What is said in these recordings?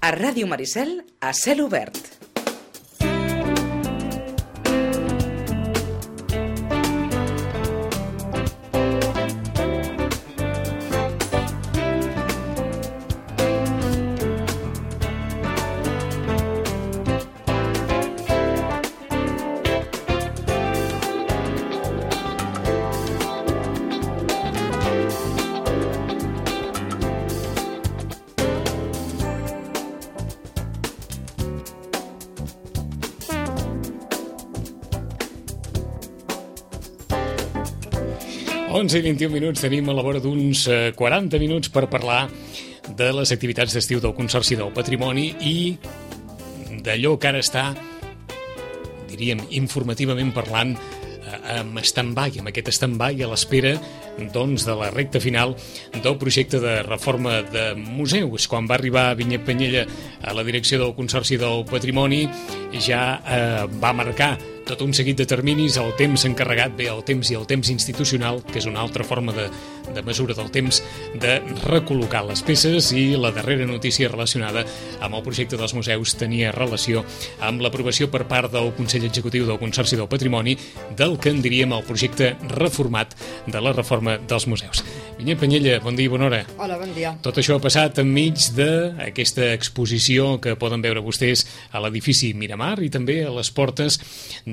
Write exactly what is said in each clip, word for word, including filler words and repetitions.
A Ràdio Maricel, a cel obert. onze i vint-i-un minuts, tenim a la vora d'uns quaranta minuts per parlar de les activitats d'estiu del Consorci del Patrimoni i d'allò que ara està, diríem, informativament parlant, amb stand-by, amb aquest stand-by a l'espera doncs, de la recta final del projecte de reforma de museus. Quan va arribar Vinyet Penyella a la direcció del Consorci del Patrimoni ja eh, va marcar tot un seguit de terminis, el temps encarregat, bé, el temps i el temps institucional, que és una altra forma de, de mesura del temps, de recol·locar les peces, i la darrera notícia relacionada amb el projecte dels museus tenia relació amb l'aprovació per part del Consell Executiu del Consorci del Patrimoni del que en diríem el projecte reformat de la reforma dels museus. Vinyet Penyella, bon dia i bona hora. Hola, bon dia. Tot això ha passat enmig d'aquesta exposició que poden veure vostès a l'edifici Miramar i també a les portes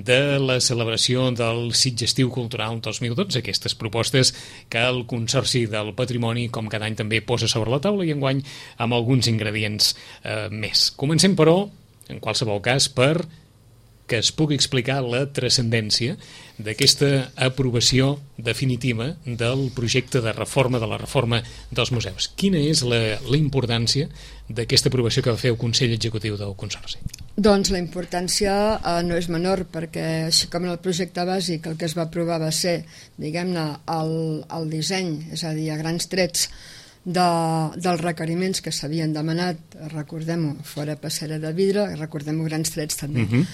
de la celebració del Sitges Estiu Cultural dos mil dotze, aquestes propostes que el Consorci del Patrimoni, com cada any, també posa sobre la taula i enguany amb alguns ingredients eh, més. Comencem, però, en qualsevol cas, per que es pugui explicar la transcendència d'aquesta aprovació definitiva del projecte de reforma de la reforma dels museus. Quina és la, la importància d'aquesta aprovació que va fer el Consell Executiu del Consorci? Doncs la importància eh, no és menor, perquè així com en el projecte bàsic el que es va aprovar va ser, diguem-ne, el, el disseny, és a dir, a grans trets, de, dels requeriments que s'havien demanat, recordem-ho, fora passera de vidre, recordem-ho, grans trets també, uh-huh.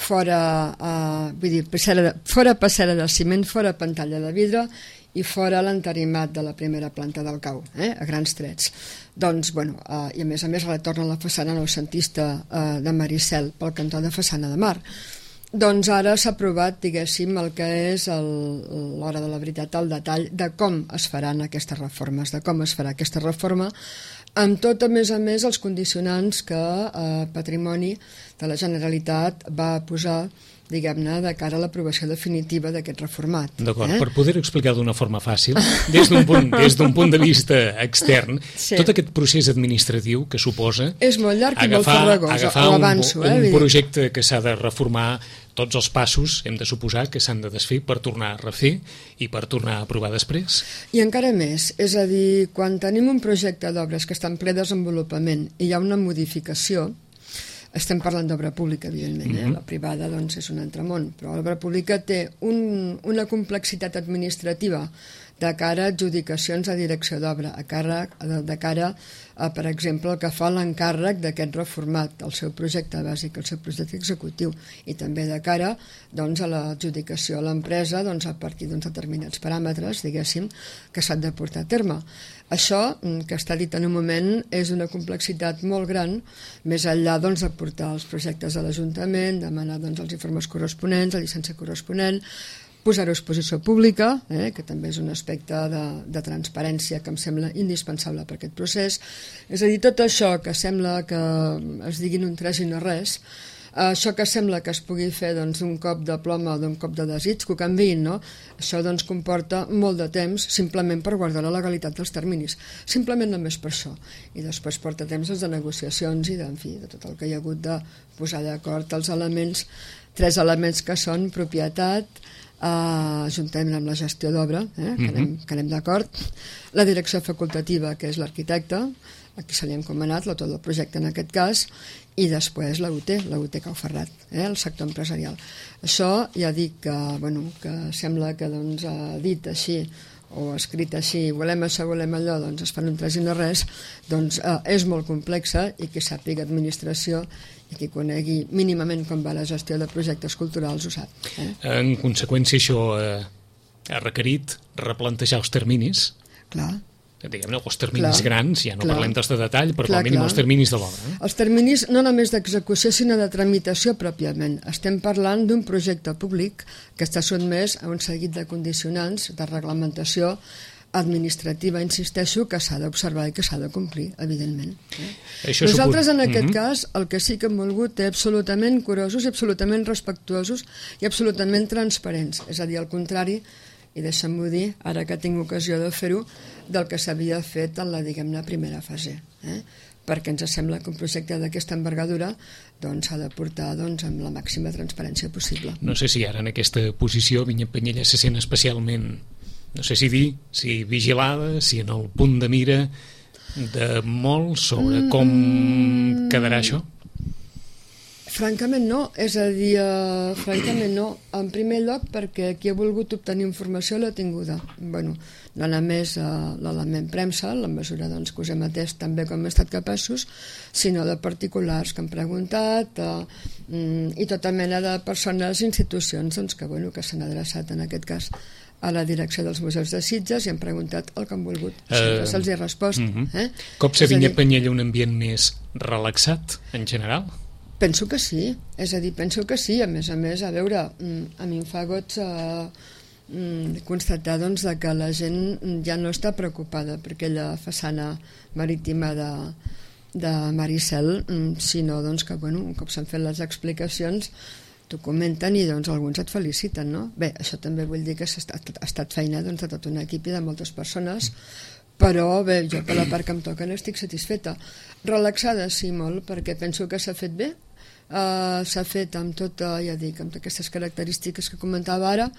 fora, eh, vull dir, passera de, fora passera de ciment, fora pantalla de vidre i fora l'entarimat de la primera planta del cau, eh, a grans trets. Doncs, bueno, eh, i a més a més retorna la façana noucentista eh, de Maricel pel cantó de façana de mar. Doncs ara s'ha aprovat, diguéssim, el que és el, l'hora de la veritat, el detall de com es faran aquestes reformes, de com es farà aquesta reforma, amb tot, a més a més, els condicionants que eh, Patrimoni de la Generalitat va posar, diguem-ne, de cara a l'aprovació definitiva d'aquest reformat. D'acord, eh? Per poder-ho explicar d'una forma fàcil, des d'un punt, des d'un punt de vista extern, sí. Tot aquest procés administratiu que suposa és molt llarg i agafar, molt farragós, agafar ho un, avanço, un, eh? un projecte que s'ha de reformar, tots els passos hem de suposar que s'han de desfer per tornar a refer i per tornar a aprovar després. I encara més, és a dir, quan tenim un projecte d'obres que està en ple desenvolupament i hi ha una modificació, estem parlant d'obra pública, evidentment, eh? Mm-hmm. La privada doncs, és un altre món, però l'obra pública té un, una complexitat administrativa de cara a adjudicacions a direcció d'obra, a càrrec, de, de cara a, per exemple, el que fa l'encàrrec d'aquest reformat, el seu projecte bàsic, el seu projecte executiu, i també de cara doncs, a l'adjudicació a l'empresa doncs, a partir d'uns determinats paràmetres, diguéssim, que s'han de portar a terme. Això, que està dit en un moment, és una complexitat molt gran, més enllà doncs, de portar els projectes a l'Ajuntament, demanar doncs, els informes corresponents, la llicència corresponent, posar-ho a exposició pública, eh, que també és un aspecte de, de transparència que em sembla indispensable per aquest procés. És a dir, tot això que sembla que es diguin un tres i no res, això que sembla que es pugui fer doncs, un cop de ploma o d'un cop de desig, que ho canviïn, no? Això doncs, comporta molt de temps simplement per guardar la legalitat dels terminis, simplement només per això, i després porta temps doncs, de negociacions i de, en fi, de tot el que hi ha hagut de posar d'acord els elements, tres elements que són propietat, Uh, juntament amb la gestió d'obra, eh, que anem, que anem d'acord, la direcció facultativa, que és l'arquitecte, a qui se li ha encomanat l'autor del projecte en aquest cas, i després la U T, la U T Cau Ferrat, eh, el sector empresarial. Això ja dic que, bueno, que sembla que doncs, ha dit així o escrit així, volem això, volem allò, doncs es fan un tres i no res, doncs eh, és molt complexa, i qui sàpiga administració i qui conegui mínimament com va la gestió de projectes culturals ho sap. Eh? En conseqüència, això eh, ha requerit replantejar els terminis. Clar. diguem-ne, els terminis clar, grans, ja no clar, parlem dels de detall, però clar, com a mínim clar. els terminis de l'obra. Eh? Els terminis no només d'execució, sinó de tramitació pròpiament. Estem parlant d'un projecte públic que està sotmès a un seguit de condicionants de reglamentació administrativa, insisteixo, que s'ha d'observar i que s'ha de complir, evidentment. Eh? Això Nosaltres, en aquest mm-hmm. cas, el que sí que hem volgut és absolutament curosos i absolutament respectuosos i absolutament transparents. És a dir, al contrari, i deixem-m'ho dir, ara que tinc ocasió de fer-ho, del que s'havia fet en la, diguem-ne, primera fase. Eh? Perquè ens sembla que un projecte d'aquesta envergadura doncs, s'ha de portar doncs, amb la màxima transparència possible. No sé si ara en aquesta posició Vinyet Penyella se sent especialment, no sé si dir, si vigilada, si en el punt de mira de molt sobre com mm, quedarà això? Francament no, és a dir, uh, francament no. En primer lloc perquè qui ha volgut obtenir informació l'ha tinguda. Bueno, no només uh, l'element premsa, en la mesura doncs, que us hem atès també com hem estat capaços, sinó de particulars que han preguntat uh, mm, i tota mena de persones i institucions doncs, que, bueno, que s'han adreçat en aquest cas a la direcció dels museus de Sitges i han preguntat el que han volgut. Sempre uh, se'ls hi ha respost. Uh-huh. eh? Cop se Vinyet Penyella un ambient més relaxat, en general? Penso que sí, és a dir, penso que sí. A més a més, a veure, a mi em fa goig eh, constatar doncs, que la gent ja no està preocupada per aquella façana marítima de, de Maricel, sinó doncs, que bueno, un cop s'han fet les explicacions t'ho comenten i doncs, alguns et feliciten, no? Bé, això també vull dir que ha estat, ha estat feina doncs, de tot un equip i de moltes persones, però bé, jo per la part que em toca no estic satisfeta. Relaxada sí, molt, perquè penso que s'ha fet bé, uh, s'ha fet amb tota, ja dic, amb aquestes característiques que comentava ara,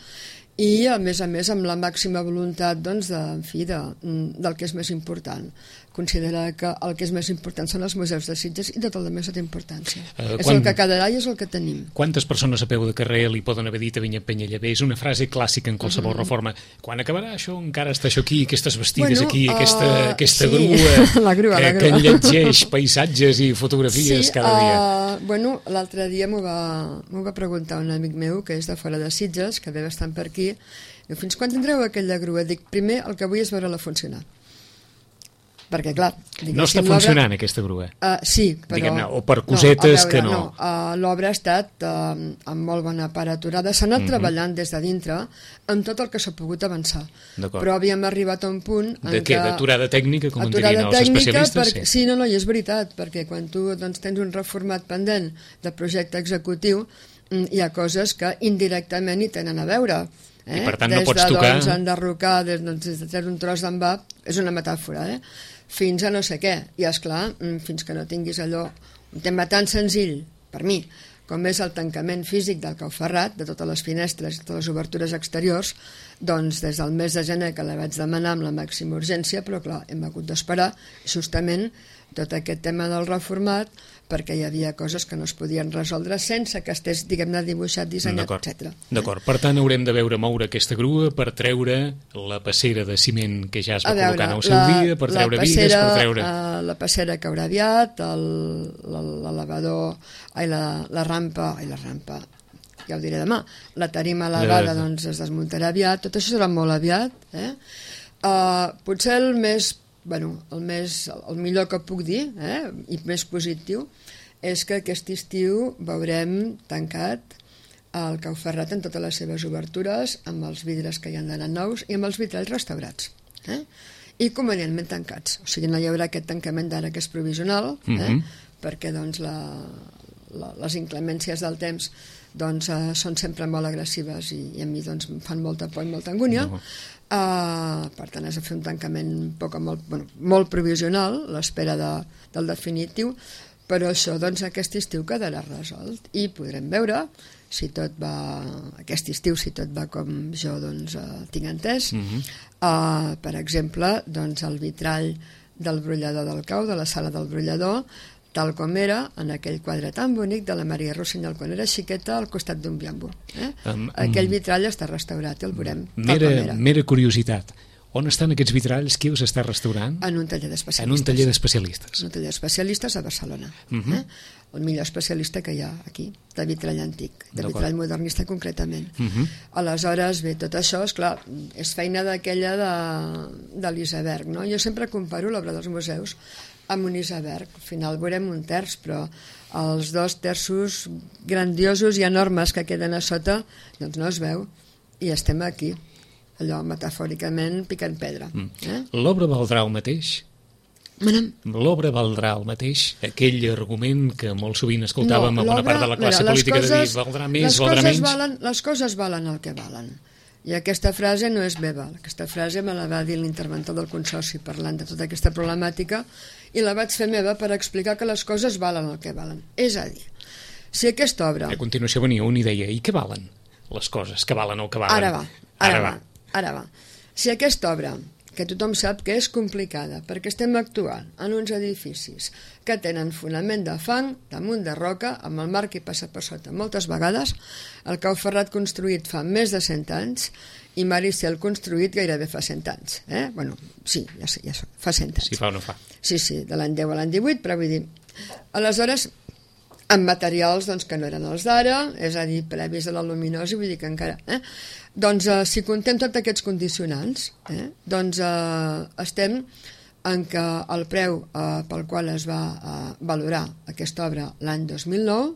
i a més a més amb la màxima voluntat doncs, de, en fi, de, del que és més important. Considerar que el que és més important són els museus de Sitges i tot el més té importància. Uh, és quan... el que quedarà i és el que tenim. Quantes persones a peu de carrer li poden haver dit a Vinyet Penyella? Bé, és una frase clàssica en qualsevol uh-huh. reforma. Quan acabarà això? Encara està això aquí, aquestes vestides bueno, aquí, aquesta, uh, aquesta sí. grua, la grua que, la grua que enlletgeix paisatges i fotografies sí, cada dia. Uh, bueno, l'altre dia m'ho va, m'ho va preguntar un amic meu que és de fora de Sitges, que ve bastant per aquí. Diu, fins quan tindreu aquella grua? Dic, primer el que vull és veure-la funcionar. Perquè, clar... No està funcionant aquesta grua? Uh, sí, però... O per cosetes no, veure, que no... no. Uh, l'obra ha estat uh, amb molt bona part aturada. S'ha anat mm-hmm. treballant des de dintre amb tot el que s'ha pogut avançar. Però havíem arribat a un punt... De què? D'aturada tècnica, com en dirien els especialistes? Perquè, sí, no, no, i és veritat, perquè quan tu doncs, tens un reformat pendent de projecte executiu, hi ha coses que indirectament hi tenen a veure. Eh? I per tant des no pots de, tocar... Doncs, enderrocar, des, doncs, des de treure un tros d'envà, és una metàfora, eh? Fins a no sé què. I esclar, fins que no tinguis allò, un tema tan senzill, per mi, com és el tancament físic del Cauferrat, de totes les finestres i totes les obertures exteriors, doncs des del mes de gener que la vaig demanar amb la màxima urgència, però clar, hem hagut d'esperar justament tot aquest tema del reformat, perquè hi havia coses que no es podien resoldre sense que estés, diguem-ne, dibuixat, dissenyat, etcètera. D'acord, per tant haurem de veure moure aquesta grua per treure la passera de ciment que ja es va veure, col·locar en el seu la, dia, per treure passera, bigues, per treure... Uh, la passera que haurà aviat, l'elevador, ai, la, la rampa, ai, la rampa, ja ho diré demà, la tarima elevada doncs es desmuntarà aviat, tot això serà molt aviat, eh? Uh, potser el més Bueno, el, més, el millor que puc dir, eh, i més positiu, és que aquest estiu veurem tancat el Cauferrat en totes les seves obertures, amb els vidres que hi han d'anar nous i amb els vitralls restaurats. Eh? I convenientment tancats. O sigui, no hi haurà aquest tancament d'ara que és provisional, eh, mm-hmm. perquè doncs, la, la, les inclemències del temps doncs, uh, són sempre molt agressives i, i a mi doncs, em fan molta por i molta angúnia. No. Uh, per tant, has de fer un tancament poc, molt, bueno, molt provisional, l'espera de, del definitiu, però això doncs, aquest estiu quedarà resolt i podrem veure si tot va, aquest estiu, si tot va com jo doncs, uh, tinc entès. Mm-hmm. uh, per exemple, doncs, el vitrall del brollador del cau, de la sala del brollador, tal com era en aquell quadre tan bonic de la Maria Rossinyol quan era xiqueta al costat d'un biambo. Eh? Um, Aquell vitrall està restaurat i el veurem mera, tal com era. Mera curiositat. On estan aquests vitralls? Qui els està restaurant? En un taller d'especialistes. En un taller d'especialistes. En un taller d'especialistes a Barcelona. Uh -huh. eh? El millor especialista que hi ha aquí, de vitrall antic, de vitrall modernista concretament. Uh -huh. Aleshores, bé, tot això, esclar, és feina d'aquella de, de l'iceberg, no? Jo sempre comparo l'obra dels museus amb un iceberg. Al final veurem un terç, però els dos terços grandiosos i enormes que queden a sota, doncs no es veu, i estem aquí, allò metafòricament picant pedra. Mm. Eh? L'obra valdrà el mateix? Manem. L'obra valdrà el mateix? Aquell argument que molt sovint escoltàvem no, a bona part de la classe mira, política coses, de dir valdrà més, valdrà menys? Valen, les coses valen el que valen. I aquesta frase no és meva. Aquesta frase me la va dir l'interventor del Consorci parlant de tota aquesta problemàtica i la vaig fer meva per explicar que les coses valen el que valen. És a dir, si aquesta obra... A continuació venia un i deia, i què valen les coses? Que valen o que valen? Ara va, ara, ara va. va. Ara va. Si aquesta obra, que tothom sap que és complicada, perquè estem actuant en uns edificis que tenen fonament de fang, damunt de roca, amb el mar que passa per sota moltes vegades, el Cau Ferrat construït fa més de cent anys i Maricel construït gairebé fa cent anys. Eh? Bueno, sí, ja, ja fa cent anys. Si fa o no fa. Sí, sí, de l'any deu a l'any divuit, però vull dir... Aleshores, amb materials doncs, que no eren els d'ara, és a dir, previs a la luminosi, vull dir que encara... Eh? Doncs eh, si contem tots aquests condicionants, eh, doncs eh, estem en què el preu eh, pel qual es va eh, valorar aquesta obra l'any dos mil nou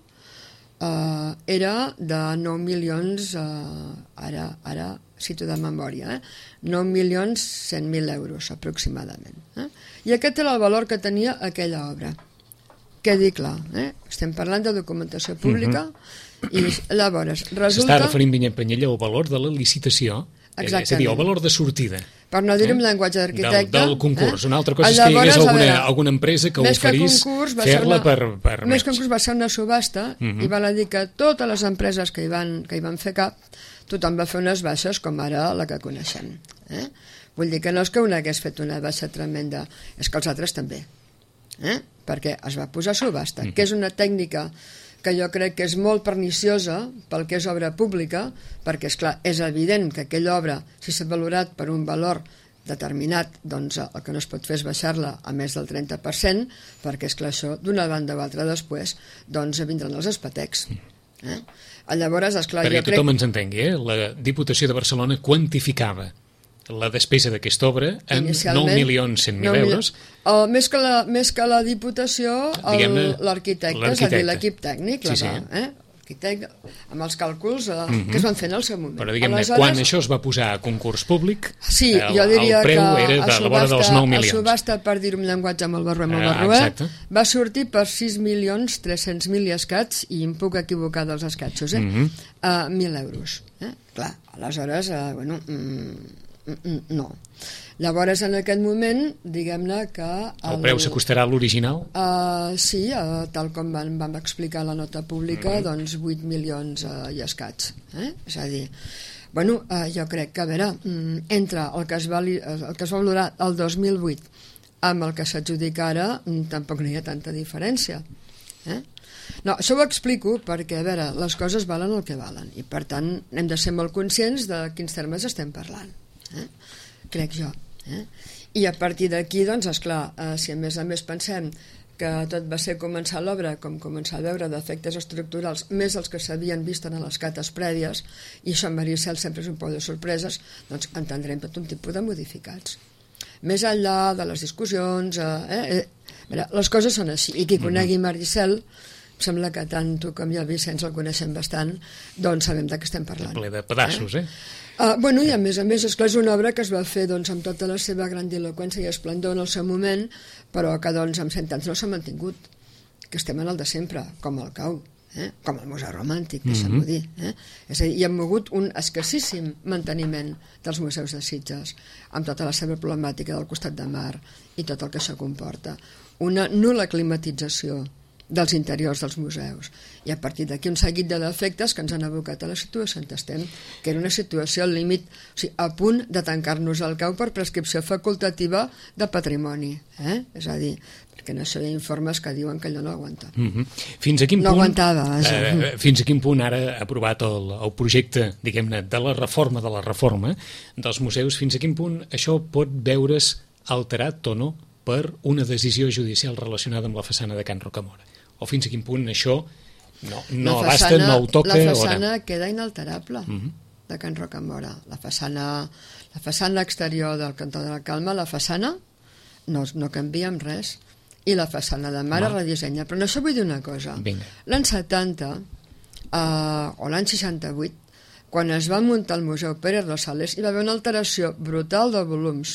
eh, era de nou milions, eh, ara, ara cito de memòria, eh, nou milions cent mil euros aproximadament. Eh? I aquest era el valor que tenia aquella obra. Quedi clar, eh? Estem parlant de documentació pública, uh-huh. i llavors resulta... S'està referint Vinyet Penyella al valor de la licitació, exactament. És a dir, el valor de sortida. Per no dir-ho en eh? llenguatge d'arquitecte... Del, del concurs. Eh? Una altra cosa és que hi hagués alguna, veure, alguna empresa que oferís fer-la per, per més que concurs va ser una subhasta, uh-huh. i val a dir que totes les empreses que hi van, que hi van fer cap, tothom va fer unes baixes com ara la que coneixem. Eh? Vull dir que no és que una hagués fet una baixa tremenda, és que els altres també. Eh? Perquè es va posar a subhasta, mm. que és una tècnica que jo crec que és molt perniciosa pel que és obra pública, perquè, és clar, és evident que aquella obra, si s'ha valorat per un valor determinat, doncs el que no es pot fer és baixar-la a més del trenta per cent, perquè, és clar, això, d'una banda o altra després, doncs vindran els espetecs. Eh? Llavors, esclar, perquè jo crec... tothom ens entengui, eh? La Diputació de Barcelona quantificava la despesa d'aquesta obra en nou milions cent mil euros. El, més, que la, més que la Diputació, l'arquitecte, és a dir, l'equip tècnic, sí, sí. Va, eh? L'arquitecte, amb els càlculs eh, mm-hmm. que es van fer en el seu moment. Però diguem-ne, aleshores... quan això es va posar a concurs públic, sí, el, jo diria el preu que era de la vora dels nou milions. A subhasta, per dir-ho en llenguatge molt barruer, molt barruer, ah, va sortir per sis milions tres-cents mil i escats, i em puc equivocar dels escatxos, eh? Mm-hmm. uh, mil euros. Eh? Clar, aleshores, uh, bueno... Mm, no. Llavors, en aquest moment, diguem-ne que... El, el preu s'acostarà a l'original? Uh, sí, uh, tal com vam, vam explicar a la nota pública, mm-hmm. doncs vuit milions uh, i escats. Eh? És a dir, bueno, uh, jo crec que, a veure, entre el que es va, el que es va valorar el dos mil vuit amb el que s'adjudica ara, tampoc no hi ha tanta diferència. Eh? No, això ho explico perquè, a veure, les coses valen el que valen, i per tant hem de ser molt conscients de quins termes estem parlant. Eh? Crec jo. Eh? I a partir d'aquí, doncs, esclar, eh, si a més a més pensem que tot va ser començar l'obra com començar a veure defectes estructurals més els que s'havien vist en les cates prèvies, i això en Maricel sempre és un pou de sorpreses, doncs entendrem tot un tipus de modificats. Més enllà de les discussions, eh, eh, mira, les coses són així, i qui conegui Maricel, sembla que tant tu com jo, Vicenç, el coneixem bastant, doncs sabem de què estem parlant. Ple de pedaços, eh? eh? Uh, bueno, i a més a més, esclar, és una obra que es va fer doncs, amb tota la seva grandiloqüència i esplendor en el seu moment, però que doncs, amb cent anys no s'ha mantingut, que estem en el de sempre, com el Cau, eh? Com el Museu Romàntic, deixa'm-ho dir. Eh? És a dir, hi ha mogut un escassíssim manteniment dels museus de Sitges, amb tota la seva problemàtica del costat de mar i tot el que això comporta. Una nul·la climatització dels interiors dels museus, i a partir d'aquí un seguit de defectes que ens han abocat a la situació on estem, que era una situació al límit, o sigui, a punt de tancar-nos al Cau per prescripció facultativa de patrimoni, eh? És a dir, perquè en això hi ha informes que diuen que allò no aguanta. Mm-hmm. Fins a quin no punt, aguantava. Eh, fins a quin punt ara ha aprovat el, el projecte, diguem-ne, de la reforma de la reforma dels museus, fins a quin punt això pot veure's alterat o no per una decisió judicial relacionada amb la façana de Can Rocamora? O fins a quin punt això no, no abasta, no ho toca? La façana o no? Queda inalterable, mm-hmm. de Can Rocamora. La façana, la façana exterior del Cantó de la Calma, la façana no, no canvia amb res. I la façana de mar es redissenya. Però no això vull dir una cosa. L'any setanta, eh, o l'any seixanta-vuit, quan es va muntar el Museu Pérez Rosales, hi va haver una alteració brutal de volums,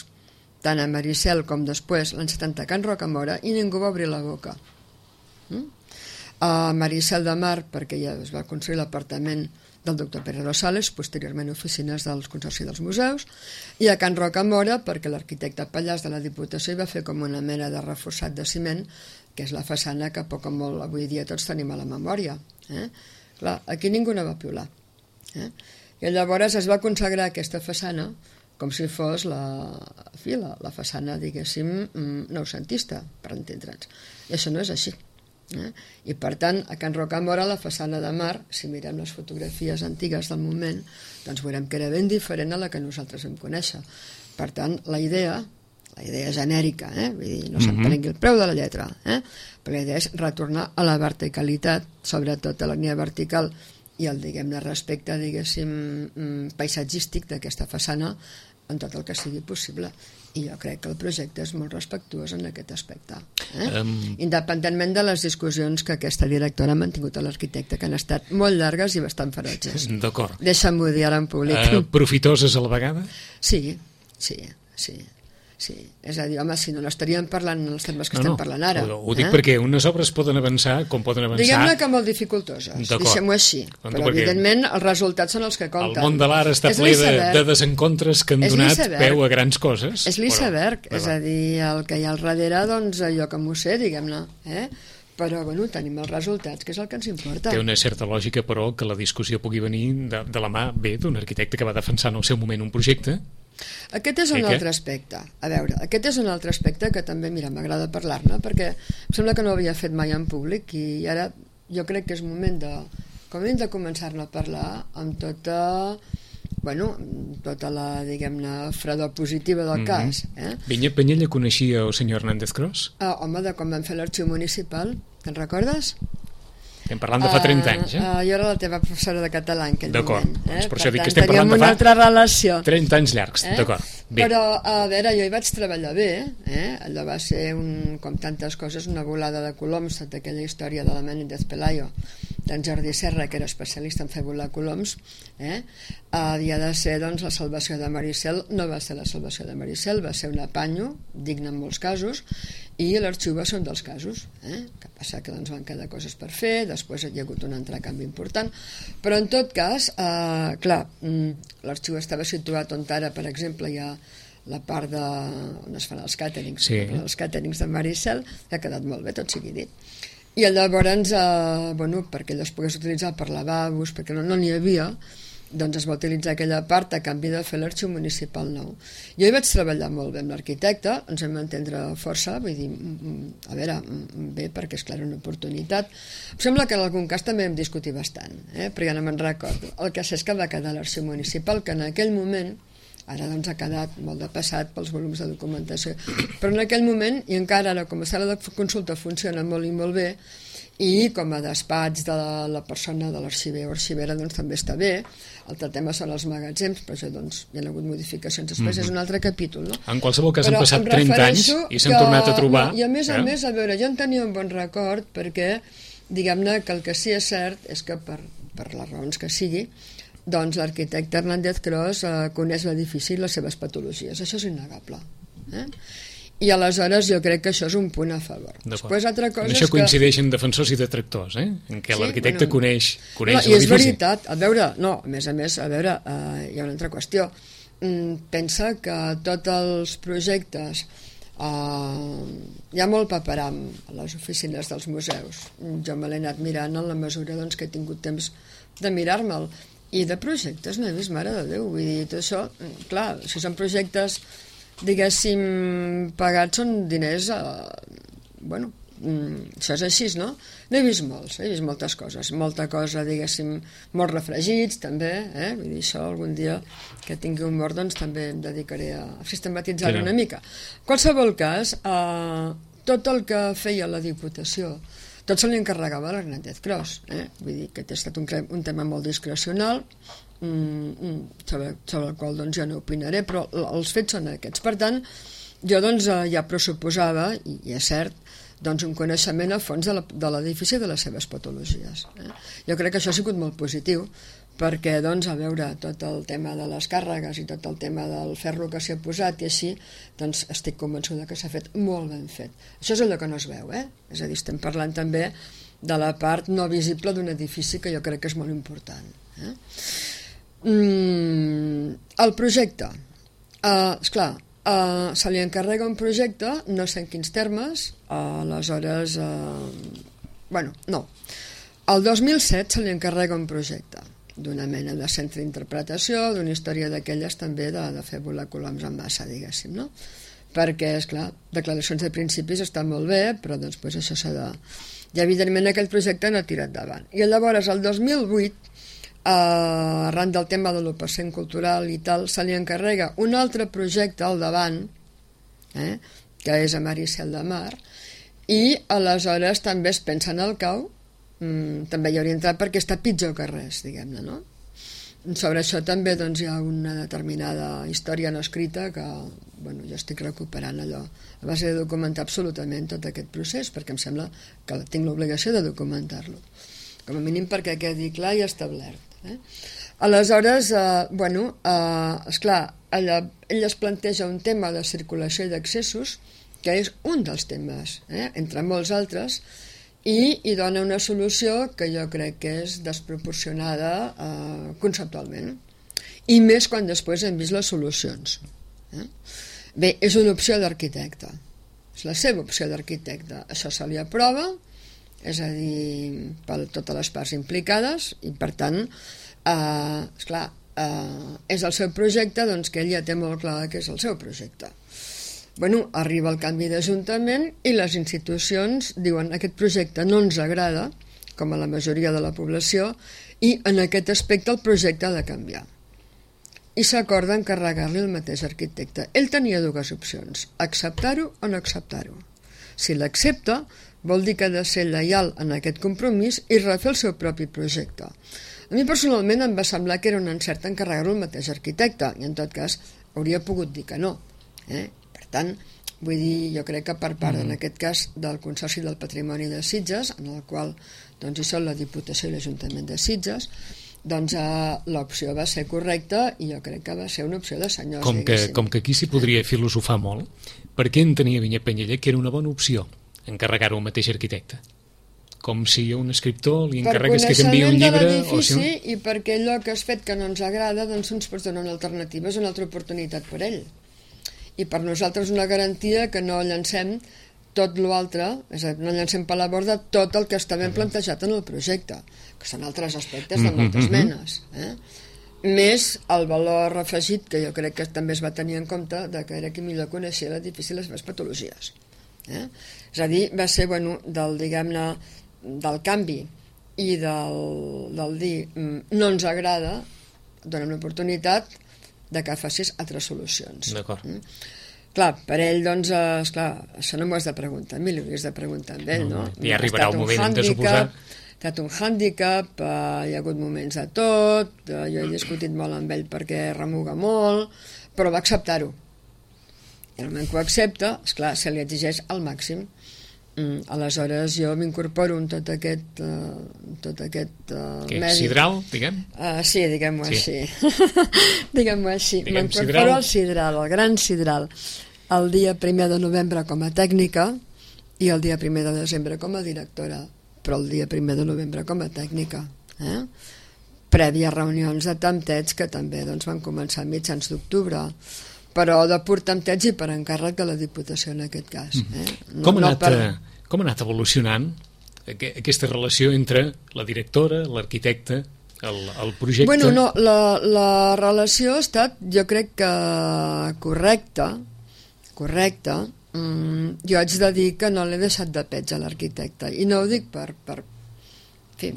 tant a Maricel com després, l'any setanta, a Can Rocamora, i ningú va obrir la boca. Mm? A Maricel de Mar, perquè ja es va construir l'apartament del doctor Pérez Rosales, posteriorment oficines del Consorci dels Museus, i a Can Rocamora, perquè l'arquitecte Pallàs de la Diputació hi va fer com una mena de reforçat de ciment, que és la façana que poc o molt avui dia tots tenim a la memòria. Eh? Clar, aquí ningú no va piular. Eh? I llavors es va consagrar aquesta façana com si fos la, fi, la, la façana, diguéssim, noucentista, per entendre'ns. I això no és així. Eh? I per tant, a Can Rocamora, la façana de mar, si mirem les fotografies antigues del moment, doncs veurem que era ben diferent a la que nosaltres vam conèixer. Per tant, la idea, la idea genèrica, eh? Vull dir, no se'n prengui el preu de la lletra, eh? però la idea és retornar a la verticalitat, sobretot a la línia vertical i el, diguem-ne, respecte, diguéssim, paisatgístic d'aquesta façana en tot el que sigui possible. I jo crec que el projecte és molt respectuós en aquest aspecte. Eh? Um... Independentment de les discussions que aquesta directora ha mantingut a l'arquitecte, que han estat molt llargues i bastant ferotges. D'acord. Deixa'm-ho dir ara en públic. Uh, profitoses a la vegada? Sí, sí, sí. Sí, és a dir, home, si no, no estaríem parlant en els termes que no, estem no, parlant ara. Ho, ho dic eh? perquè unes obres poden avançar com poden avançar... Diguem-ne que molt dificultoses, deixem-ho així. Però, evidentment, els resultats són els que compten. El món de l'art està ple de, de desencontres que han donat peu a grans coses. És l'iceberg, és a dir, el que hi ha al darrere, doncs, jo que m'ho sé, diguem-ne, eh? Però, bueno, tenim els resultats, que és el que ens importa. Té una certa lògica, però, que la discussió pugui venir de, de la mà, bé, d'un arquitecte que va defensar en el seu moment un projecte. Aquest és un eh, altre aspecte. A veure, aquest és un altre aspecte que també, mira, m'agrada parlar-ne, perquè em sembla que no ho havia fet mai en públic i ara jo crec que és moment de, com hem de començar-ne a parlar amb tota, bueno, tota la, diguem-ne, fredor positiva del mm-hmm. cas. Eh? Vinyet Penyella coneixia el senyor Hernández Cros? Uh, home, de quan vam fer l'arxiu municipal, te'n recordes? Estem parlant de fa trenta anys, eh? Uh, uh, jo era la teva professora de català en aquell d'acord. moment. D'acord, eh? per això per dic tant, que estem parlant de fa una altra relació. trenta anys llargs, eh? D'acord. Bé. Però, a veure, jo hi vaig treballar bé, eh? Allò va ser, un, com tantes coses, una volada de coloms, tota aquella història de la Menéndez Pelayo, d'en Jordi Serra, que era especialista en fer volar coloms, eh? Havia de ser, doncs, la salvació de Maricel. No va ser la salvació de Maricel, va ser un apanyo, digne en molts casos, i l'arxiu va ser un dels casos, eh? Que passa que doncs, van quedar coses per fer, després hi ha hagut un entrecanvi important, però en tot cas, eh, clar, l'arxiu estava situat on ara, per exemple, hi ha la part de, on es fan els càterings, sí. els càterings de Maricel, que ha quedat molt bé, tot sigui dit. I llavors, eh, bueno, perquè allò es pogués utilitzar per lavabos, perquè no n'hi no havia, doncs es va utilitzar aquella part a canvi de fer l'arxiu municipal nou. Jo hi vaig treballar molt bé amb l'arquitecte, ens vam entendre força, vull dir, a veure, bé, perquè és clar, una oportunitat. Em sembla que en algun cas també vam discutir bastant, eh? però ja no me'n recordo. El que sé és que va quedar l'arxiu municipal, que en aquell moment, ara doncs ha quedat molt de passat pels volums de documentació, però en aquell moment, i encara ara com a sala de consulta funciona molt i molt bé, i com a despatx de la, la persona de l'arxiver o arxivera doncs també està bé. L'altre tema són els magatzems, però això doncs hi ha hagut modificacions després, mm-hmm. és un altre capítol, no? En qualsevol cas però han passat trenta anys i s'han tornat a trobar. No, I a més eh? a més, a veure, jo en tenia un bon record perquè, diguem-ne que el que sí és cert és que per, per les raons que sigui, doncs l'arquitecte Hernández Cros eh, coneix l'edifici i les seves patologies, això és innegable, eh? I aleshores jo crec que això és un punt a favor. Després altra cosa en això és coincideixen que... defensors i detractors, eh? En què sí, l'arquitecte bueno, coneix, coneix no, i és l'edifici. veritat, a veure, no, a més a més, a veure, uh, hi ha una altra qüestió. Mm, pensa que tots els projectes uh, hi ha molt paperam a les oficines dels museus. Jo me l'he anat mirant en la mesura doncs, que he tingut temps de mirar-me'l. I de projectes no he vist, mare de Déu, vull dir, tot això, clar, si són projectes diguéssim, pagats són diners eh, bueno, mm, això és així, no? N'he vist molts, he vist moltes coses, molta cosa, diguéssim, molts refregits, també, eh? Vull dir, això algun dia que tingui un mort, doncs també em dedicaré a sistematitzar-ho una mica. En qualsevol cas, eh, tot el que feia la Diputació, tot se li encarregava a l'Hernández Cros, eh? Vull dir que ha estat un, un tema molt discrecional, mm, sobre, sobre el qual doncs, jo no opinaré, però els fets són aquests. Per tant, jo doncs, ja pressuposava, i, i és cert, doncs, un coneixement a fons de l'edifici i de les seves patologies. Eh? Jo crec que això ha sigut molt positiu, perquè, doncs, a veure, tot el tema de les càrregues i tot el tema del ferro que s'hi ha posat i així, doncs estic convençuda que s'ha fet molt ben fet. Això és allò que no es veu, eh? És a dir, estem parlant també de la part no visible d'un edifici que jo crec que és molt important. Eh? Mm, el projecte. Uh, esclar, uh, se li encarrega un projecte, no sé en quins termes, uh, aleshores, uh, bueno, no. El dos mil set se li encarrega un projecte d'una mena de centre d'interpretació, d'una història d'aquelles també de, de fer volar coloms en massa, diguéssim, no? Perquè, esclar, declaracions de principis estan molt bé, però doncs, pues, això s'ha de... I evidentment aquell projecte no ha tirat davant. I llavors, el dos mil vuit, eh, arran del tema de l'u per cent cultural i tal, se li encarrega un altre projecte al davant, eh, que és a Maricel de Mar, i aleshores també es pensa en el cau, mm, també hi hauria entrat perquè està pitjor que res, diguem-ne, no? Sobre això també doncs, hi ha una determinada història no escrita que bueno, jo estic recuperant allò a base de documentar absolutament tot aquest procés, perquè em sembla que tinc l'obligació de documentar-lo, com a mínim perquè quedi clar i establert. Eh? Aleshores, eh, bueno, eh, esclar, ella, ella es planteja un tema de circulació i d'accessos, que és un dels temes, eh, entre molts altres, i hi dona una solució que jo crec que és desproporcionada eh, conceptualment, i més quan després hem vist les solucions. Eh? Bé, és una opció d'arquitecte, és la seva opció d'arquitecte, això se li aprova, és a dir, per totes les parts implicades, i per tant, eh, esclar, eh, és el seu projecte, doncs que ell ja té molt clar que és el seu projecte. Bueno, arriba el canvi d'Ajuntament i les institucions diuen aquest projecte no ens agrada, com a la majoria de la població, i en aquest aspecte el projecte ha de canviar. I s'acorda encarregar-li el mateix arquitecte. Ell tenia dues opcions, acceptar-ho o no acceptar-ho. Si l'accepta, vol dir que ha de ser lleial en aquest compromís i refer el seu propi projecte. A mi personalment em va semblar que era un encert encarregar-ho al mateix arquitecte, i en tot cas hauria pogut dir que no. Eh? Per tant, vull dir, jo crec que per part, mm. en aquest cas, del Consorci del Patrimoni de Sitges, en el qual doncs, hi són la Diputació i l'Ajuntament de Sitges, doncs eh, l'opció va ser correcta i jo crec que va ser una opció de senyors. Com que, com que aquí s'hi podria filosofar molt, per què entenia Vinyet Penyella que era una bona opció encarregar-ho al mateix arquitecte? Com si a un escriptor li encarregués que canviï un llibre... O si un... I perquè allò que has fet que no ens agrada, doncs ens pots donar una alternativa, és una altra oportunitat per ell. I per nosaltres una garantia que no llancem tot l'altre, és a dir, no llancem per la borda tot el que està ben plantejat en el projecte, que són altres aspectes de moltes menes. Eh? Més el valor afegit, que jo crec que també es va tenir en compte, de que era qui millor coneixia l'edifici i les seves patologies. Eh? És a dir, va ser, bueno, del, diguem-ne, del canvi i del, del dir no ens agrada, donem l'oportunitat de que facis altres solucions. D'acord. Mm? Clar, per ell, doncs, eh, esclar, això no m'ho has de preguntar a mi, li hauries de preguntar a ell, no? no? Ja arribarà el moment, hem de suposar. Ha estat un hàndicap, eh, hi ha hagut moments de tot, eh, jo he discutit molt amb ell perquè remuga molt, però va acceptar-ho. I el moment que ho accepta, esclar, se li exigeix al màxim. Mm, aleshores jo m'incorporo en tot aquest uh, tot aquest uh, Què, medi. Sidral, diguem? Uh, sí, diguem-ho sí. així. diguem-ho així. Diguem M'incorporo al Sidral, al Gran Sidral, el dia primer de novembre com a tècnica i el dia primer de desembre com a directora, però el dia primer de novembre com a tècnica. Eh? Prèvia reunions de tamtets que també doncs, van començar a mitjans d'octubre, però de pur tempteig i per encàrrec de la Diputació en aquest cas. Eh? No, com, ha no anat, per... com ha anat evolucionant aquesta relació entre la directora, l'arquitecte, el, el projecte? Bueno, no, la, la relació ha estat, jo crec que correcta, correcta, mm, jo haig de dir que no l'he deixat de peig a l'arquitecte, i no ho dic per, per en fi,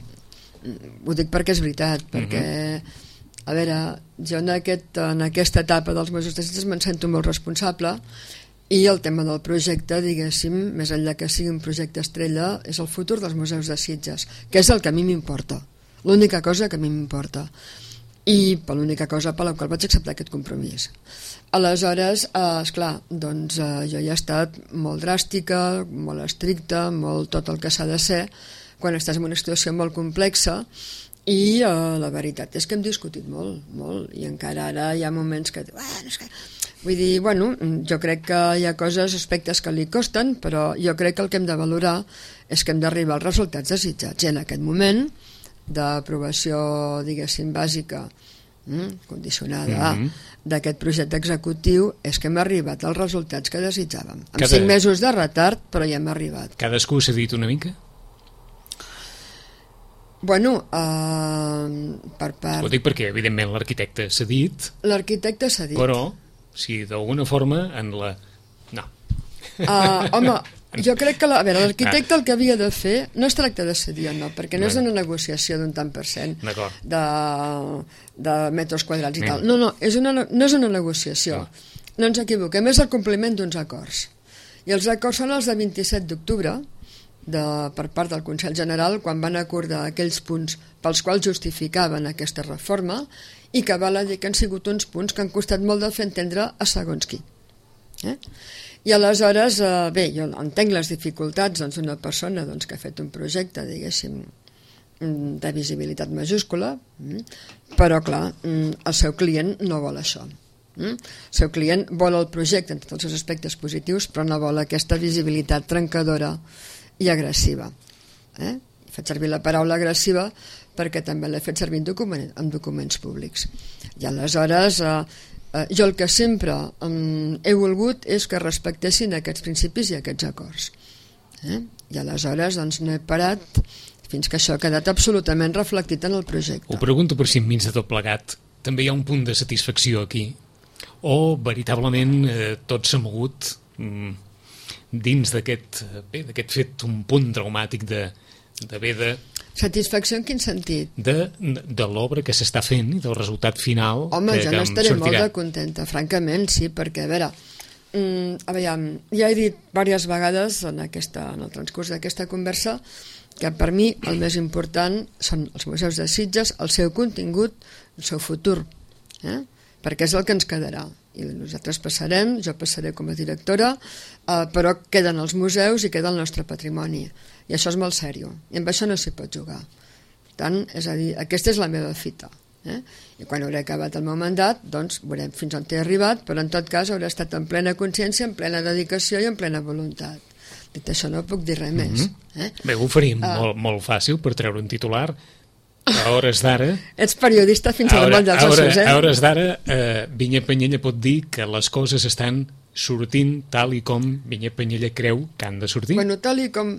ho dic perquè és veritat, perquè uh-huh. a veure, jo en, aquest, en aquesta etapa dels Museus de Sitges me'n sento molt responsable, i el tema del projecte, diguéssim, més enllà que sigui un projecte estrella, és el futur dels Museus de Sitges, que és el que a mi m'importa, l'única cosa que a mi m'importa, i per l'única cosa per la qual vaig acceptar aquest compromís. Aleshores, eh, esclar, doncs eh, jo ja he estat molt dràstica, molt estricta, molt tot el que s'ha de ser, quan estàs en una situació molt complexa, i eh, la veritat és que hem discutit molt, molt, i encara ara hi ha moments que... Bueno, és que... Vull dir, bueno, jo crec que hi ha coses, aspectes que li costen, però jo crec que el que hem de valorar és que hem d'arribar als resultats desitjats, i en aquest moment d'aprovació, diguéssim, bàsica, mm, condicionada mm-hmm. d'aquest projecte executiu, és que hem arribat als resultats que desitjàvem. Amb Cada... cinc mesos de retard, però ja hem arribat. Cadascú s'ha dit una mica? Bueno, uh, per part... Ho dic perquè, evidentment, l'arquitecte s'ha dit... L'arquitecte s'ha dit. Però, si d'alguna forma, en la... No. Uh, home, jo crec que la, a veure, l'arquitecte el que havia de fer no es tracta de cedir o no, perquè no és una negociació d'un tant per cent de, de metres quadrats i tal. No, no, és una, no és una negociació. No, no ens equivoquem, és el compliment d'uns acords. I els acords són els de vint-i-set d'octubre, de, per part del Consell General, quan van acordar aquells punts pels quals justificaven aquesta reforma, i que val a dir que han sigut uns punts que han costat molt de fer entendre a segons qui. Eh? I aleshores, eh, bé, jo entenc les dificultats doncs, d'una persona doncs, que ha fet un projecte, diguéssim, de visibilitat majúscula, però, clar, el seu client no vol això. El seu client vol el projecte en tots els seus aspectes positius, però no vol aquesta visibilitat trencadora i agressiva. Eh? Faig servir la paraula agressiva perquè també l'he fet servir en, document, en documents públics. I aleshores... Eh, jo el que sempre um, he volgut és que respectessin aquests principis i aquests acords. Eh? I aleshores doncs, no he parat fins que això ha quedat absolutament reflectit en el projecte. Ho pregunto per si enmig de tot plegat també hi ha un punt de satisfacció aquí, o veritablement eh, tot s'ha mogut mm, dins d'aquest d'aquest fet un punt traumàtic de d'haver de... Satisfacció en quin sentit? De, de l'obra que s'està fent i del resultat final. Home, que, jo que n'estaré sortirà. molt de contenta, francament, sí, perquè, a veure, mm, a veure, ja he dit diverses vegades en, aquesta, en el transcurs d'aquesta conversa que per mi el més important són els museus de Sitges, el seu contingut, el seu futur, eh? perquè és el que ens quedarà. I nosaltres passarem, jo passaré com a directora, eh, però queden els museus i queda el nostre patrimoni. I això és molt sèrio, i amb això no s'hi pot jugar. Per tant, és a dir, aquesta és la meva fita. Eh? I quan hauré acabat el meu mandat, doncs veurem fins on he arribat, però en tot cas hauré estat en plena consciència, en plena dedicació i en plena voluntat. Dit això no puc dir res mm-hmm. més. Eh? Bé, ho faríem uh, molt, molt fàcil per treure un titular. A hores d'ara... Ets periodista fins al moll dels ossos, eh? A hores d'ara, eh, Vinyet Penyella pot dir que les coses estan sortint tal i com Vinyet Penyella creu que han de sortir? Bueno, tal i com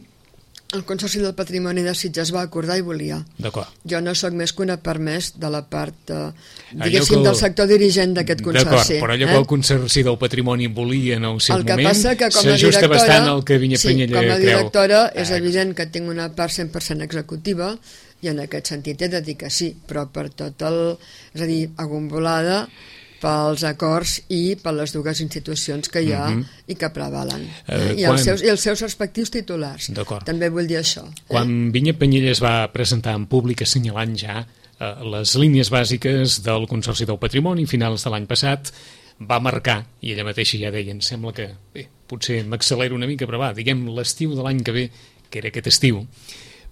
el Consorci del Patrimoni de Sitges va acordar i volia. D'acord. Jo no sóc més que una permès de la part, eh, diguéssim, el... del sector dirigent d'aquest consorci. D'acord, però allò eh? que el Consorci del Patrimoni volia en el seu el que moment s'ajusta bastant al que Vinyet sí, Penyella creu. com a directora creu. És evident que tinc una part cent per cent executiva i en aquest sentit he de dir que sí, però per tot el... és a dir, agombolada pels acords i per les dues institucions que hi ha mm-hmm. i que prevalen. Eh, I, quan... els seus, I els seus respectius titulars. També vull dir això. Quan eh? Vinyet Penyella es va presentar en públic assenyalant ja eh, les línies bàsiques del Consorci del Patrimoni finals de l'any passat, va marcar, i ella mateixa ja deia, em sembla que, bé, potser m'accelero una mica, però va, diguem l'estiu de l'any que ve, que era aquest estiu,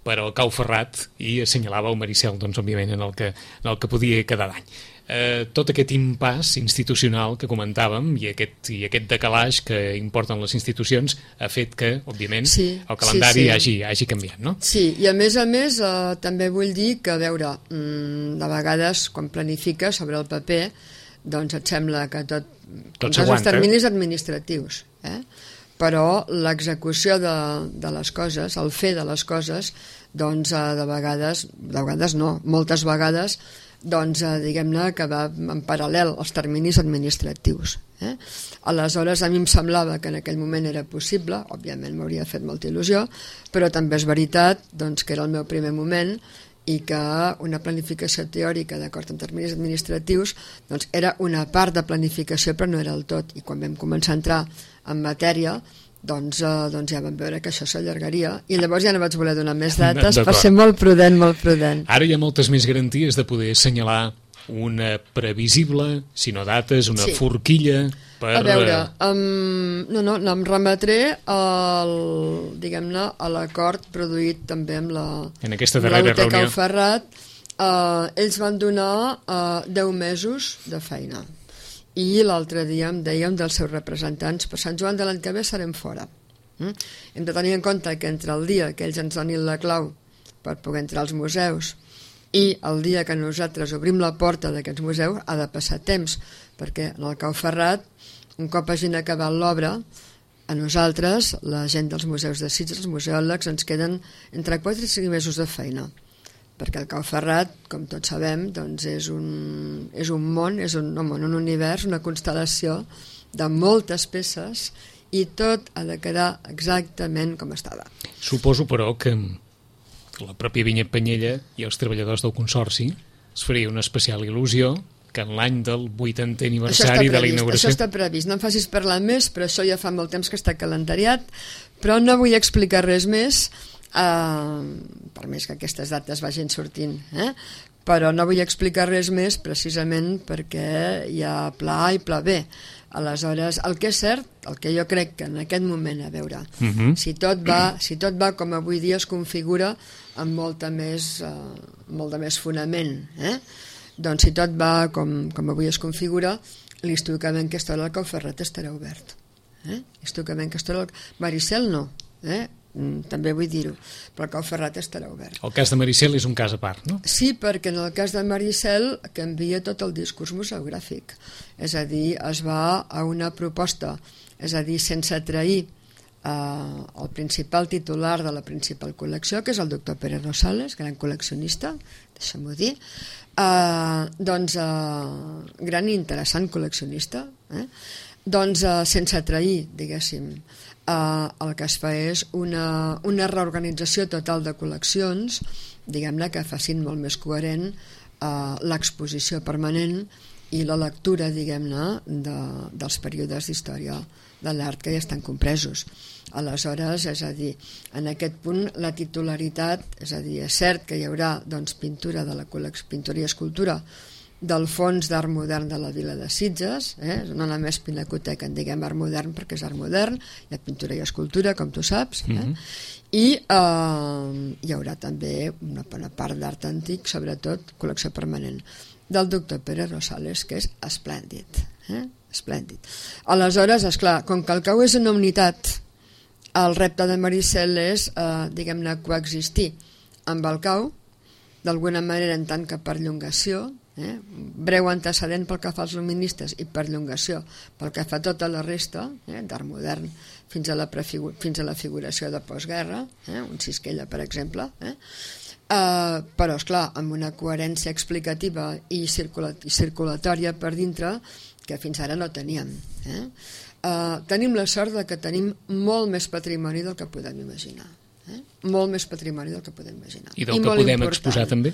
per al Cau Ferrat, i assenyalava el Maricel, doncs, òbviament, en el que, en el que podia quedar d'any. Eh, tot aquest impàs institucional que comentàvem i aquest, i aquest decalaix que importen les institucions ha fet que, òbviament, sí, el calendari sí, sí. Hagi, hagi canviat, no? Sí, i a més a més eh, també vull dir que, a veure, mmm, de vegades quan planifiques sobre el paper, doncs et sembla que tot... Tot s'aguanta. Els terminis administratius, eh? Però l'execució de, de les coses, el fer de les coses, doncs eh, de vegades, de vegades no, moltes vegades, doncs eh, diguem-ne que va en paral·lel als terminis administratius. Eh? Aleshores a mi em semblava que en aquell moment era possible, òbviament m'hauria fet molta il·lusió, però també és veritat doncs, que era el meu primer moment i que una planificació teòrica d'acord amb terminis administratius doncs, era una part de planificació però no era el tot, i quan vam començar a entrar en matèria doncs, eh, doncs ja vam veure que això s'allargaria i llavors ja no vaig voler donar més dates per ser molt prudent, molt prudent. Ara hi ha moltes més garanties de poder assenyalar una previsible, si no dates, una sí. forquilla per... A veure, um, no, no, no, em remetré al, diguem-ne, a l'acord produït també amb la, en aquesta darrera amb la U T reunió. Ferrat. Uh, ells van donar uh, deu mesos de feina. I l'altre dia em deien dels seus representants, per Sant Joan de l'any que ve serem fora. Mm? Hem de tenir en compte que entre el dia que ells ens donin la clau per poder entrar als museus i el dia que nosaltres obrim la porta d'aquests museus ha de passar temps, perquè en el Cau Ferrat, un cop hagin acabat l'obra, a nosaltres, la gent dels museus de Sitges, els museòlegs, ens queden entre quatre i cinc mesos de feina, perquè el Cau Ferrat, com tots sabem, doncs és, un, és un món, és un, no, un univers, una constel·lació de moltes peces i tot ha de quedar exactament com estava. Suposo, però, que la pròpia Vinyet Penyella i els treballadors del Consorci es faria una especial il·lusió que en l'any del vuitantè aniversari de la inauguració... Això està previst, no em facis parlar més, però això ja fa molt temps que està calendariat, però no vull explicar res més, Uh, per més que aquestes dates vagin sortint, eh? però no vull explicar res més precisament perquè hi ha pla A i pla B. Aleshores, el que és cert, el que jo crec que en aquest moment, a veure, uh -huh. si, tot va, si tot va com avui dia es configura amb molta més, uh, molt de més fonament, eh? doncs si tot va com, com avui es configura, l'Institut Climent Castor al Cau Ferrat estarà obert. Eh? L'Institut Climent Castor al... Maricel no, eh? també vull dir-ho, però el Cau Ferrat estarà obert. El cas de Maricel és un cas a part, no? Sí, perquè en el cas de Maricel canvia tot el discurs museogràfic, és a dir, es va a una proposta, és a dir, sense trair eh, el principal titular de la principal col·lecció, que és el doctor Pere Rosales, gran col·leccionista, deixa'm-ho dir, eh, doncs eh, gran i interessant col·leccionista, eh? doncs eh, sense trair, diguéssim, Uh, el que es fa és una, una reorganització total de col·leccions, diguem-ne, que facin molt més coherent uh, l'exposició permanent i la lectura, diguem-ne, de, dels períodes d'història de l'art que ja estan compresos. Aleshores, és a dir, en aquest punt la titularitat, és a dir, és cert que hi haurà doncs, pintura de la col·lecció, pintura i escultura del fons d'art modern de la vila de Sitges, eh? no només pinacoteca, en diguem art modern perquè és art modern, hi ha pintura i escultura, com tu saps, eh? Mm-hmm. i eh, hi haurà també una bona part d'art antic, sobretot col·lecció permanent, del doctor Pere Rosales, que és esplèndid, eh? esplèndid. Aleshores, esclar, com que el Cau és una unitat, el repte de Maricel és, eh, diguem-ne, coexistir amb el Cau, d'alguna manera en tant que perllongació, Eh? breu antecedent pel que fa als luministes i perllongació pel que fa a tota la resta, eh? d'art modern fins a, la fins a la figuració de postguerra, eh? un Sisquella per exemple, eh? Uh, però esclar, amb una coherència explicativa i, circula i circulatòria per dintre que fins ara no teníem. Eh? Uh, tenim la sort de que tenim molt més patrimoni del que podem imaginar. Eh? Molt més patrimoni del que podem imaginar. I del I que podem important. exposar també?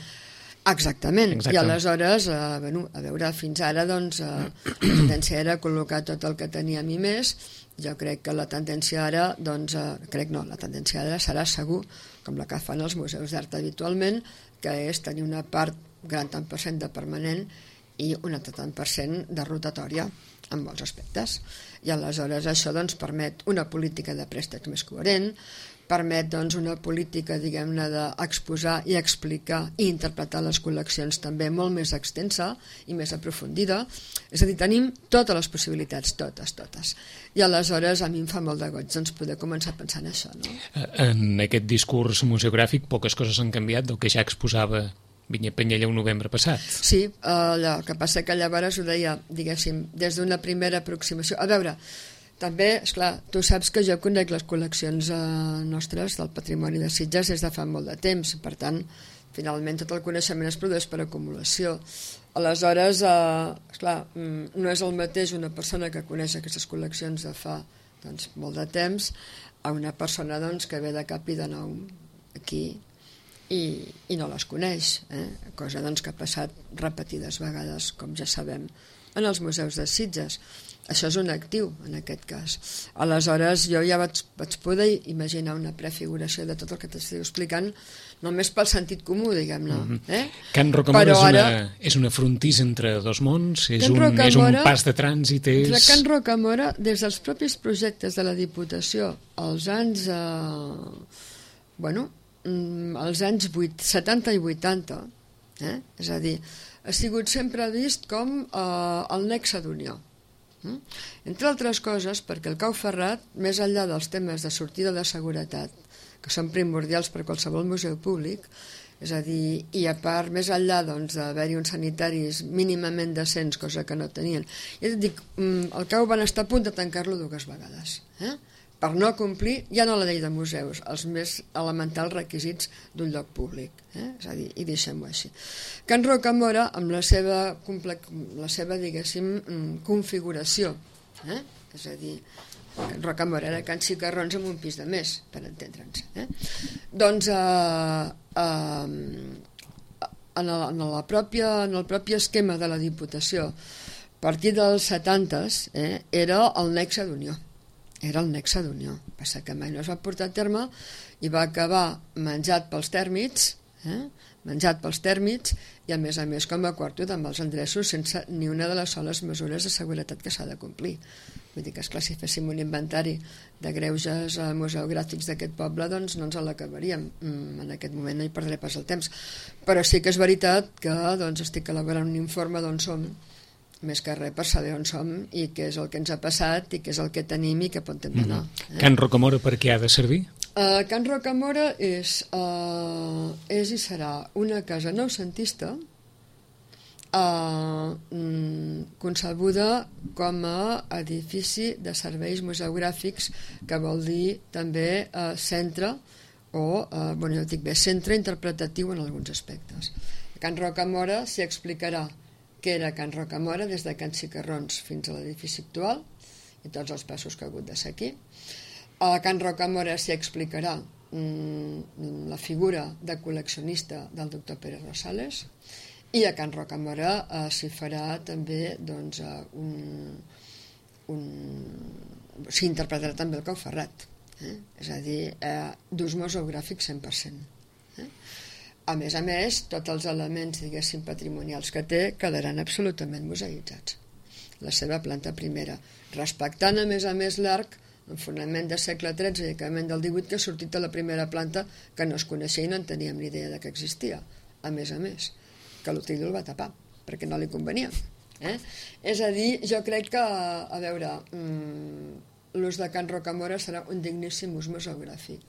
Exactament. Exacte. I aleshores, eh, bueno, a veure, fins ara doncs, eh, la tendència era col·locar tot el que teníem i més. Jo crec que la tendència ara, doncs, eh, crec no, la tendència ara serà segur, com la que fan els museus d'art habitualment, que és tenir una part, gran tant per cent de permanent i un altre tant per cent de rotatòria en molts aspectes. I aleshores això doncs, permet una política de préstecs més coherent, permet doncs, una política, diguem-ne, d'exposar i explicar i interpretar les col·leccions també molt més extensa i més aprofundida. És a dir, tenim totes les possibilitats, totes, totes. I aleshores a mi em fa molt de goig doncs, poder començar a pensar en això. No? En aquest discurs museogràfic poques coses han canviat del que ja exposava Vinyet Penyella un novembre passat. Sí, allò, el que passa que llavors ho deia, diguéssim, des d'una primera aproximació. A veure, també, esclar, tu saps que jo conec les col·leccions eh, nostres del patrimoni de Sitges des de fa molt de temps, per tant, finalment tot el coneixement es produeix per acumulació. Aleshores, eh, esclar, no és el mateix una persona que coneix aquestes col·leccions de fa doncs, molt de temps a una persona doncs, que ve de cap i de nou aquí i, i no les coneix, eh? Cosa doncs, que ha passat repetides vegades, com ja sabem, en els museus de Sitges. Això és un actiu, en aquest cas. Aleshores, jo ja vaig, vaig poder imaginar una prefiguració de tot el que t'estic explicant, només pel sentit comú, diguem-ne. Mm-hmm. eh? Can Rocamora és, ara, una, és una frontís entre dos mons? És, Can un, Rocamora, és un pas de trànsit? És... Can Rocamora, des dels propis projectes de la Diputació, als anys... Eh, bueno, als anys setanta i vuitanta, eh? És a dir, ha sigut sempre vist com eh, el nexe d'unió. Mm? Entre altres coses, perquè el Cau Ferrat, més enllà dels temes de sortida de seguretat, que són primordials per qualsevol museu públic, és a dir, i a part, més enllà doncs, d'haver-hi uns sanitaris mínimament decents, cosa que no tenien. I et dic, el Cau van estar a punt de tancar-lo dues vegades, eh? per no complir, ja no la llei de museus, els més elementals requisits d'un lloc públic. Eh? És a dir, i deixem-ho així. Can Rocamora, amb la seva, la seva diguéssim, configuració, eh? és a dir, Can Rocamora era Can Xicarrons amb un pis de més, per entendre'ns. Eh? Doncs, eh, eh, en, el, en, la pròpia, en el propi esquema de la Diputació, a partir dels setantes, eh, era el nexe d'unió. Era el nexe d'unió. Passa que mai no es va portar a terme i va acabar menjat pels tèrmits, eh? menjat pels tèrmits i a més a més com a quarto amb els endreços sense ni una de les soles mesures de seguretat que s'ha de complir. Vull dir que, esclar, si féssim un inventari de greuges museogràfics d'aquest poble, doncs no ens l'acabaríem. En aquest moment no hi perdré pas el temps. Però sí que és veritat que doncs, estic elaborant un informe d'on som, més que res per saber on som i què és el que ens ha passat i què és el que tenim i què pot hem d'anar. Mm-hmm. Eh? Can Rocamora per què ha de servir? Uh, Can Rocamora és, uh, és i serà una casa noucentista uh, concebuda com a edifici de serveis museogràfics, que vol dir també uh, centre o, uh, bueno, jo dic bé, centre interpretatiu en alguns aspectes. Can Rocamora s'hi explicarà que era Can Rocamora des de Can Xicarrons fins a l'edifici actual i tots els passos que ha hagut de ser aquí. A Can Rocamora s'hi explicarà mm, la figura de col·leccionista del doctor Pere Rosales i a Can Rocamora eh, s'hi farà també doncs, un, un... s'hi interpretarà també el Cau Ferrat, eh? és a dir, eh, d'ús museogràfic cent per cent. Eh? A més a més, tots els elements, diguéssim, patrimonials que té quedaran absolutament museïtzats. La seva planta primera, respectant a més a més l'arc en fonament del segle tretze i acabament del divuit que ha sortit de la primera planta que no es coneixia i no en teníem ni idea de que existia. A més a més, que l'Otilio el va tapar, perquè no li convenia. Eh? És a dir, jo crec que, a veure, mmm, l'ús de Can Rocamora serà un digníssim ús museogràfic.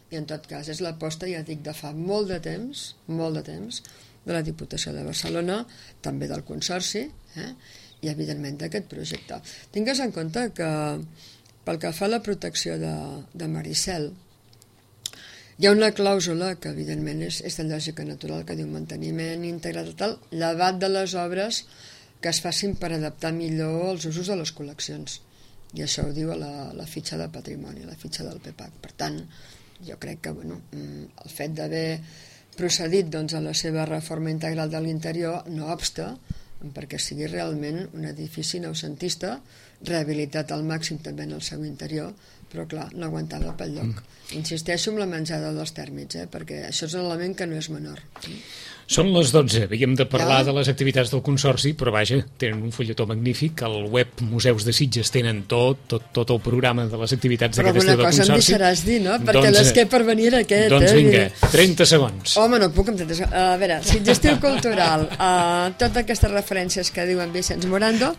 I en tot cas és l'aposta, ja dic, de fa molt de temps, molt de temps, de la Diputació de Barcelona, també del Consorci, eh? i evidentment d'aquest projecte. Tingues en compte que pel que fa a la protecció de, de Maricel, hi ha una clàusula que evidentment és, és de lògica natural, que diu manteniment integrat tal, llevat de les obres que es facin per adaptar millor els usos de les col·leccions. I això ho diu a la, la fitxa de patrimoni, la fitxa del P P A C. Per tant, jo crec que bueno, el fet d'haver procedit doncs, a la seva reforma integral de l'interior no obsta perquè sigui realment un edifici noucentista, rehabilitat al màxim també en el seu interior, però clar, no aguantava pel lloc. Insisteixo en la menjada dels tèrmits, eh, perquè això és un element que no és menor. Són les dotze, havíem de parlar Ja. de les activitats del Consorci, però vaja, tenen un fulletó magnífic, al web Museus de Sitges tenen tot, tot, tot el programa de les activitats Però d'aquest estiu alguna del cosa em Consorci. deixaràs dir, no? Perquè Doncs, les que per venir aquest... Doncs eh? vinga, trenta segons. Home, no puc amb trenta segons. A veure, Sitges Estiu Cultural, uh, totes aquestes referències que diuen Vicenç Morando,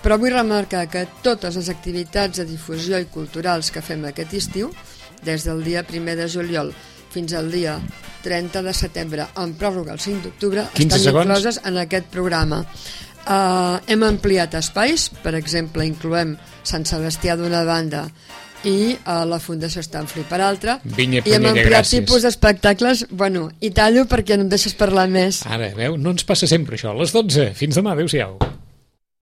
però vull remarcar que totes les activitats de difusió i culturals que fem aquest estiu, des del dia primer de juliol fins al dia trenta de setembre, en pròrroga el cinc d'octubre, estan segons. incloses en aquest programa. Uh, hem ampliat espais, per exemple, incloem Sant Sebastià d'una banda i uh, la Fundació Stanfrey per altra, Vinya, i hem Punella, ampliat gràcies. tipus d'espectacles. Bueno, i tallo perquè no em deixes parlar més. Ara, veu, no ens passa sempre això. A les dotze, fins demà, adéu-siau.